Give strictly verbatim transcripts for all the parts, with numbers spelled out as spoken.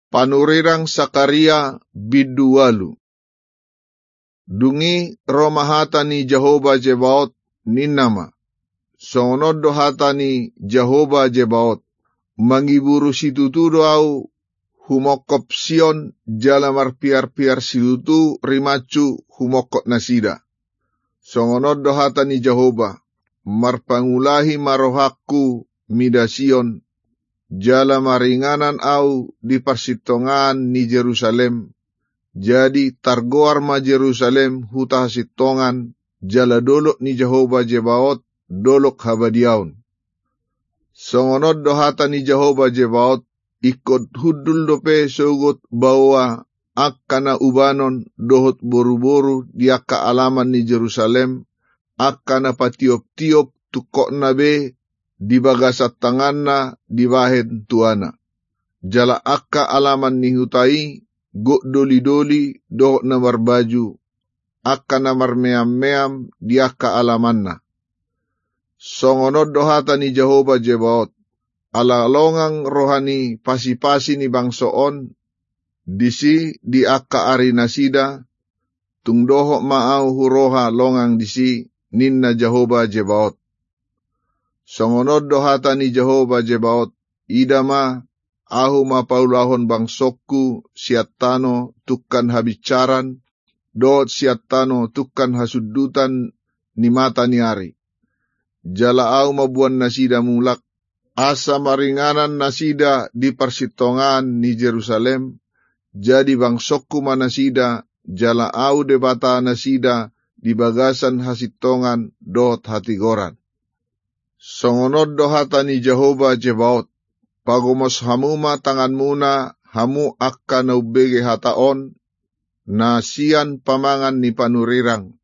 Panurirang Sakaria bindu ualu. Dung i ro ma hata ni Jahowa Zebaot, ninna ma: Songon on do hata ni Jahowa Zebaot: Mangiburu situtu do ahu humongkop Sion, jala marpiarpiar situtu rimashu humongkop nasida. Songon on do hata ni Jahowa: Marpangulahi ma rohangku mida Sion, jala maringanan ahu di parsintongaan ni Jerusalem. Jadi targoar ma Jerusalem huta hasintongan, jala dolok ni Jahowa Zebaot dolok habadiaon. Songon on do hata ni Jahowa Zebaot: Ingkon hundul dope sogot baoa angka na ubanon dohot boruboru di angka alaman ni Jerusalem, angka na patioptiop tungkotna be di bagasan tanganna dibahen tuana. Jala angka alaman ni huta i gok dolidoli dohot na marbaju, angka na marmeammeam di angka alamanna. Songon on do hata ni Jahowa Zebaot: Ala longang roha ni pasipasi ni bangso on disi di angka ari nasida, tung dohot ma ahu huroha longang disi, ninna Jahowa Zebaot. Songon on do hata ni Jahowa Zebaot: Ida ma, ahu ma paulahon bangsongku sian tano tungkan habinsaran, dohot sian tano tungkan hasundutan ni mata ni ari. Jala ahu mamboan nasida mulak, asa maringanan nasida di parsintongaan ni Jerusalem, jadi bangsongku ma nasida, jala ahu Debata nasida di bagasan hasintongan dohot hatigoran. Songon on do hata ni Jahowa Zebaot: Pagomos hamu ma tanganmuna, hamu angka na umbege hata on, na sian pamangan ni panurirang,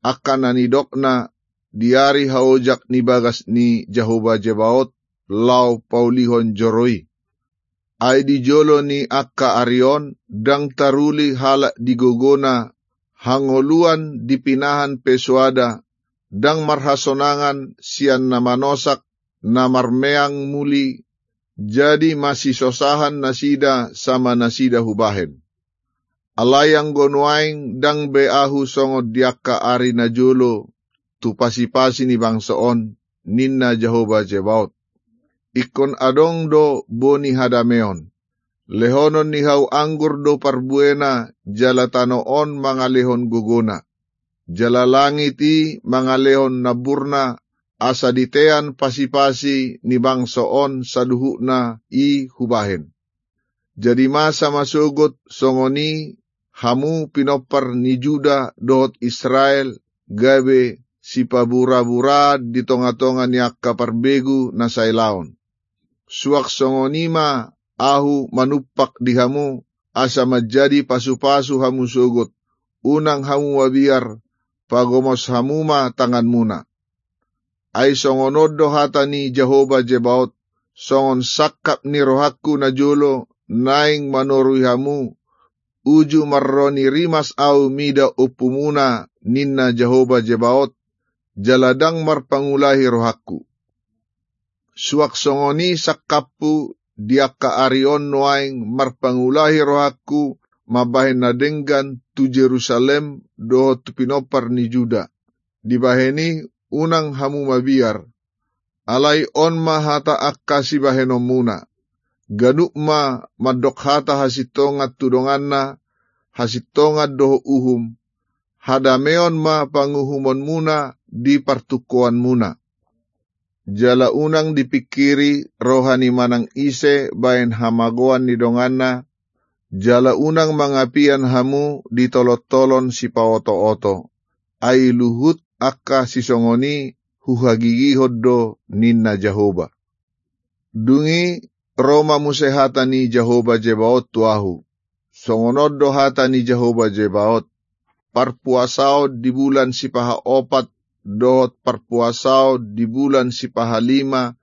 angka na nidokna di ari haojak ni bagas ni Jahowa Zebaot, laho paulihon joro i. Ai di jolo ni angka ari on ndang taruli halak di gogona hangoluan di pinahan pe soada, ndang marhasonangan sian na manosak, na marmeang muli, jadi masisosahan nasida sama nasida hubahen. Alai anggo nuaeng ndang be ahu songon di angka ari na jolo tu pasipasi ni bangso on, ninna Jahowa Zebaot. Ingkon adong do boni hadameon. Lehonon ni hau anggur do parbuena, jala tano on mangalehon gogona. Jala langit i mangalehon namburna, asa ditean pasipasi ni bangso on saluhutna i hubahen. Jadi masa ma sogot songon i hamu pinompar ni Juda dohot Israel, gabe sipaburabura di tongatonga ni angka parbegu na sailaon. Suang songon i ma ahu manumpak di hamu, asa manjadi pasupasu hamu sogot, unang hamu mabiar, pagomos hamu ma tanganmuna. Ai songon on do hata ni Jahowa Zebaot: Songon sangkap ni rohangku na jolo naeng manorui hamu, uju marroni rimas ahu mida ompumuna, ninna Jahowa Zebaot, jala ndang marpangulahi rohangku. Suang songon i sangkapku di angka ari on nuaeng marpangulahi rohangku mambahen na denggan tu Jerusalem dohot tu pinompar ni Juda. Dibahen i unang hamu mabiar. Alai on ma hata angka sibahenonmuna. Ganup ma mandok hata hasintongan tu donganna, hasintongan dohot uhum. Hadameon ma panguhumonmuna di partungkoanmuna. Jala unang dipingkiri roha ni manang ise bahen hamagoan ni donganna, jala unang mangapian hamu di tolontolon sipaotooto. Ai luhut angka sisongon i huhagigihon do, ninna Jahowa. Dung i ro ma muse hata ni Jahowa Zebaot tu ahu: Songon on do hata ni Jahowa Zebaot: Parpuasaon di bulan sipahaopat, dohot parpuasaon di bulan sipahalima,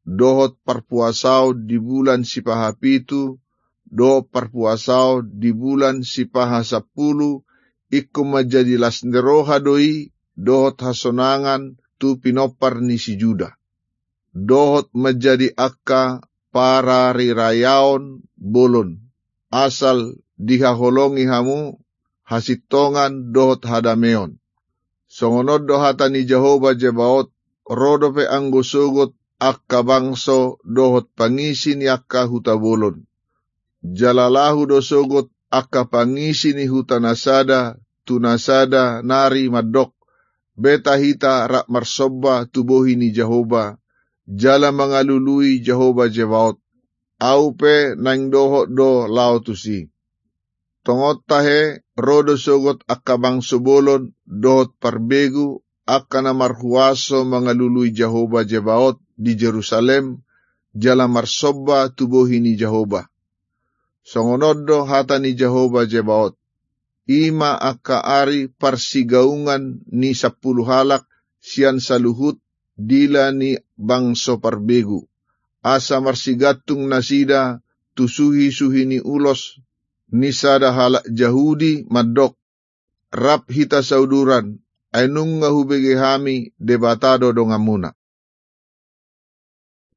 dohot parpuasaon di bulan sipahapitu, dohot parpuasaon di bulan sipahasampulu, ingkon manjadi las ni roha do i dohot hasonangan tu pinompar ni si Juda. Dohot manjadi angka parariraiaon bolon. asal dihaholongi hamu hasintongan dohot hadameon. Songon on do hata ni Jahowa Zebaot: Ro dope anggo sogot angka bangso dohot pangisi ni angka huta bolon. Jala laho do sogot angka pangisi ni huta na sada tu na sada nari mandok: Beta hita rap marsomba tu bohi ni Jahowa, jala mangalului Jahowa Zebaot. Ahu pe naeng dohot do laho tusi. Tongon tahe, ro do sogot angka bangso bolon dohot parbegu, angka na marhuaso mangalului Jahowa Zebaot di Jerusalem, jala marsomba tu bohi ni Jahowa. Songon on do hata ni Jahowa Zebaot: I ma angka ari parsigaungan ni sampulu halak sian saluhut dila ni bangso parbegu, asa marsigantung nasida tu suhi-suhi ni ulos ni sada halak Jahudi mandok: Rap hita sauduran, ai nunga hubege hami Debata do donganmuna.